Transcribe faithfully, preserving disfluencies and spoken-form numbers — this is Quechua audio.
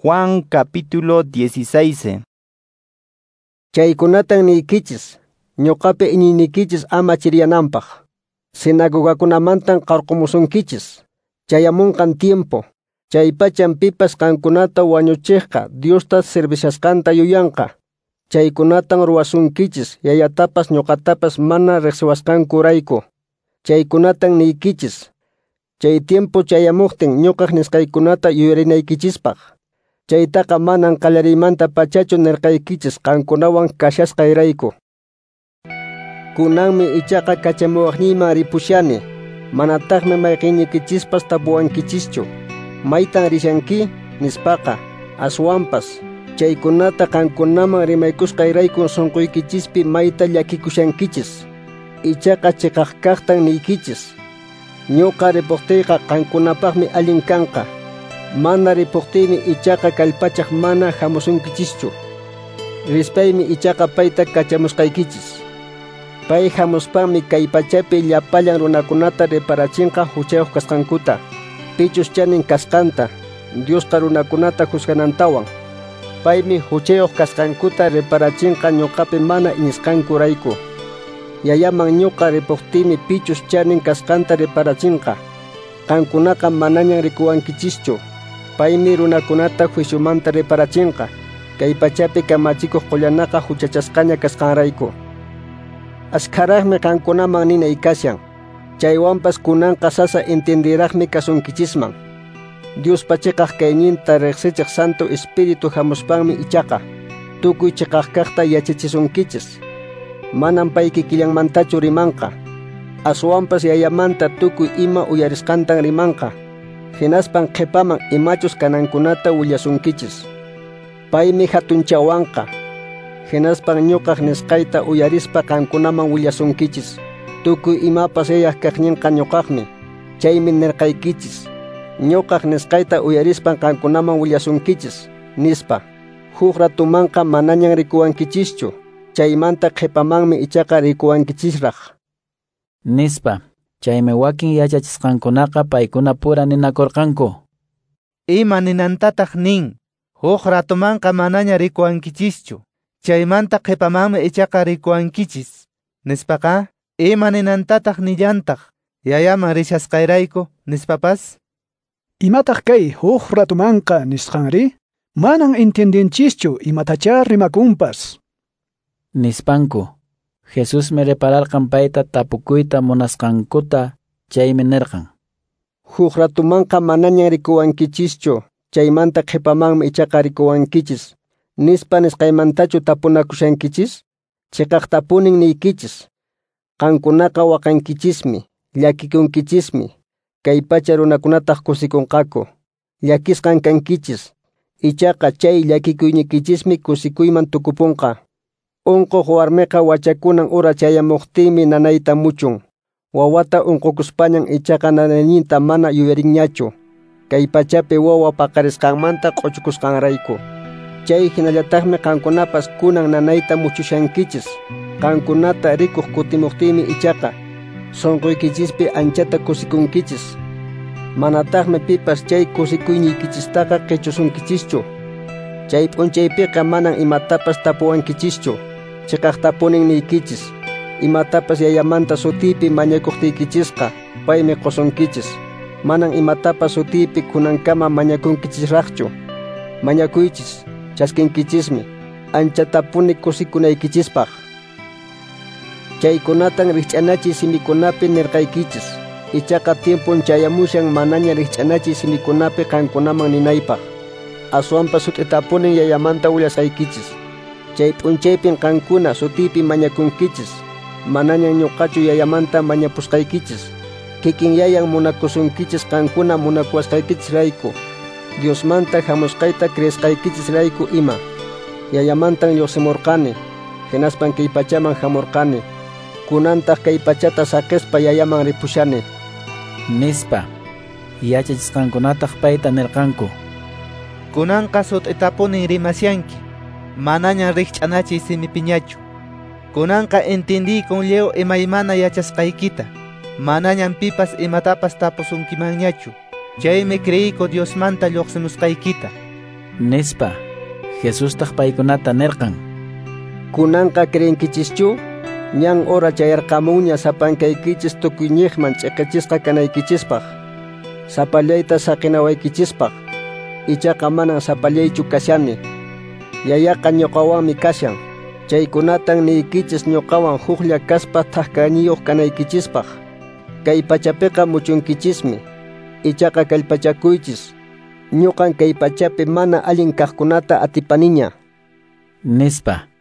Juan capítulo dieciséis. Chaykunatan niykichis, ñuqapi iñiynikichis ama chiriyananpaq. Sinagogakunamantan qarqumusunkichis. Chayamunqan tiempo, chaypachan pipas qankunata wañuchiqqa Diosta servishasqanta yuyanqa. Chaykunatan ruwasunkichis, yayatapas ñuqatapas mana riqsiwasqankurayku. Chaykunatan niykichis. Chay tiempo chayamuqtin ñuqaq nisqaykunata yuyarinaykichispaq. Chaytaqa manan qallariymanta pachachu nirqaykichis qankunawan kashasqayrayku. Kunanmi ichaqa kachamuwaqniyman ripushani, manataqmi mayqinnikichispas tapuwankichischu. Maytan rishanki nispaqa, aswanpas chaykunata qankunaman rimaykusqayraykun sunquykichispi mayta llakikushankichis. Ichaqa chiqaq kaqtan niykichis. Ñuqa ripuqtiyqa qankunapaqmi allin kanqa. Mana ripuqtiymi ichaqa kallpachaq mana hamusunkichischu. Rispaymi ichaqa payta kachamusqaykichis. Pay hamuspanmi kay pachapi llapallan runakunata reparachinqa huchayuq kasqankuta, pichus chanin kasqanta, Diosqa runakunata juzganantawan. Paymi huchayuq kasqankuta reparachinqa ñuqapi mana iñisqankurayku. Yayaman ñuqa ripuqtiymi pichus chanin kasqanta reparachinqa. Qankunaqa manañan rikuwankichischu. Paymi runakunata juiciomanta reparachinqa, kay pachapi kamachikuq qullanaqa huchachasqaña kasqanrayku. Askharaqmi qankunaman ninay kashan, chaywanpas kunanqa sasa entendiraqmi kasunkichisman. Diospa chiqaq kayninta riqsichiq Santo Espíritu hamuspanmi ichaqa tukuy chiqaq kaqta yachachisunkichis. Manam pay kikillanmantachu rimanqa, aswanpas yayamanta tukuy ima uyarisqantan rimanqa. Hinaspan qhipaman imachus kanankunata willasunkichis. Paymi hatunchawanqa. Hinaspan ñuqaq nisqayta uyarispa qankunaman willasunkichis. Tukuy imapas yayaq kaqninqa ñuqaqmi. Chaymi nirqaykichis. Ñuqaq nisqayta uyarispan qankunaman willasunkichis, nispa. Huk ratumanqa manañan rikuwankichischu. Chaymanta qhipamanmi ichaqa rikuwankichisraq. Nispa. Chaymi wakin yachachisqankunaqa paykuna pura ninakurqanku. Ima ninantataq nin, huk ratumanqa manaña rikuwankichischu, chaymanta qhipamanmi ichaqa rikuwankichis, nispaqa, ima ninantataq nillantaq, yayaman rishasqayrayku, nispapas? Imataq kay huk ratumanqa nisqanri? Manan entiendenchischu imatachá rimakunpas. Nispanku. Jesusmi repararqan payta tapukuyta munasqankuta, chaymi nirqan. Huk ratumanqa manañan rikuwankichischu, chaymanta qhipamanmi ichaqa rikuwankichis. Nispa nisqaymantachu tapunakushankichis? Chiqaqtapunin niykichis. Qankunaqa waqankichismi, llakikunkichismi, kay pacha runakunataq kusikunqaku. Llakisqan kankichis, ichaqa chay llakikuynikichismi kusikuyman tukupunqa. Unquq warmiqa wachakunan ura chayamuqtinmi nanayta muchun. Wawata unqukuspañan ichaqa nanayninta mana yuyarinñachu. Kay pachapi wawa paqarisqanmanta q'uchukusqanrayku. Chay hinallataqmi qankunapas kunan nanayta muchushankichis. Qankunata rikuq kutimuqtinmi ichaqa sunquykichispi anchata kusikunkichis. Manataqmi pipas chay kusikuynikichistaqa qichusunkichischu. Chay p'unchaypiqa manan imatapas tapuwankichischu. Chiqaqtapunin niykichis. Imatapas yayamanta sutiypi mañakuqtiykichisqa, paymi qusunkichis. Manan imatapas sutiypi kunankama mañakunkichisraqchu. Mañakuychis, chaskinkichismi, anchatapuni kusikunaykichispaq. Chaykunatan rikch'anachiy simikunapi nirqaykichis. Ichaqa tiempon chayamushan manaña rikch'anachiy simikunapi qankunaman ninaypaq. Aswanpas sut'itapunin yayamanta willasqaykichis. Chay p'unchaypin qankuna sutiypi mañakunkichis. Manañan ñuqachu yayamanta mañapusqaykichis. Kikin yayan munakusunkichis qankuna munakuwasqaykichisrayku. Diosmanta hamusqayta creesqaykichisrayku ima. Yayamantan lluqsimurqani, hinaspan kay pachaman hamurqani. Kunantaq kay pachata saqispa yayaman ripushani. Nispa. Yachachisqankunataq payta nirqanku. Kunanqa sut'itapunin rimasyanki, manañan rikch'anachiy simipiñachu. Kunanqa entendiykun lliw imaymana yachasqaykita, manañan pipas imatapas tapusunkimanñachu. Chaymi creiyku Diosmanta lluqsimusqaykita. Nispa. Jesustaq paykunata nirqan: Kunanqa creenkichischu? Ñan hora chayarqamunña sapankaykichis tukuyñiqman ch'iqichisqa kanaykichispaq, sapallayta saqinawaykichispaq. Ichaqa manan sapallaychu kashani. Yayaqa ñuqawanmi kashan. Chaykunatan niykichis ñuqawan huklla kaspa thak-kayniyuq kanaykichispaq. Kay pachapiqa muchunkichismi. Ichaqa kallpachakuychis. Ñuqan kay pachapi mana allin kaqkunata atipaniña. Nispa.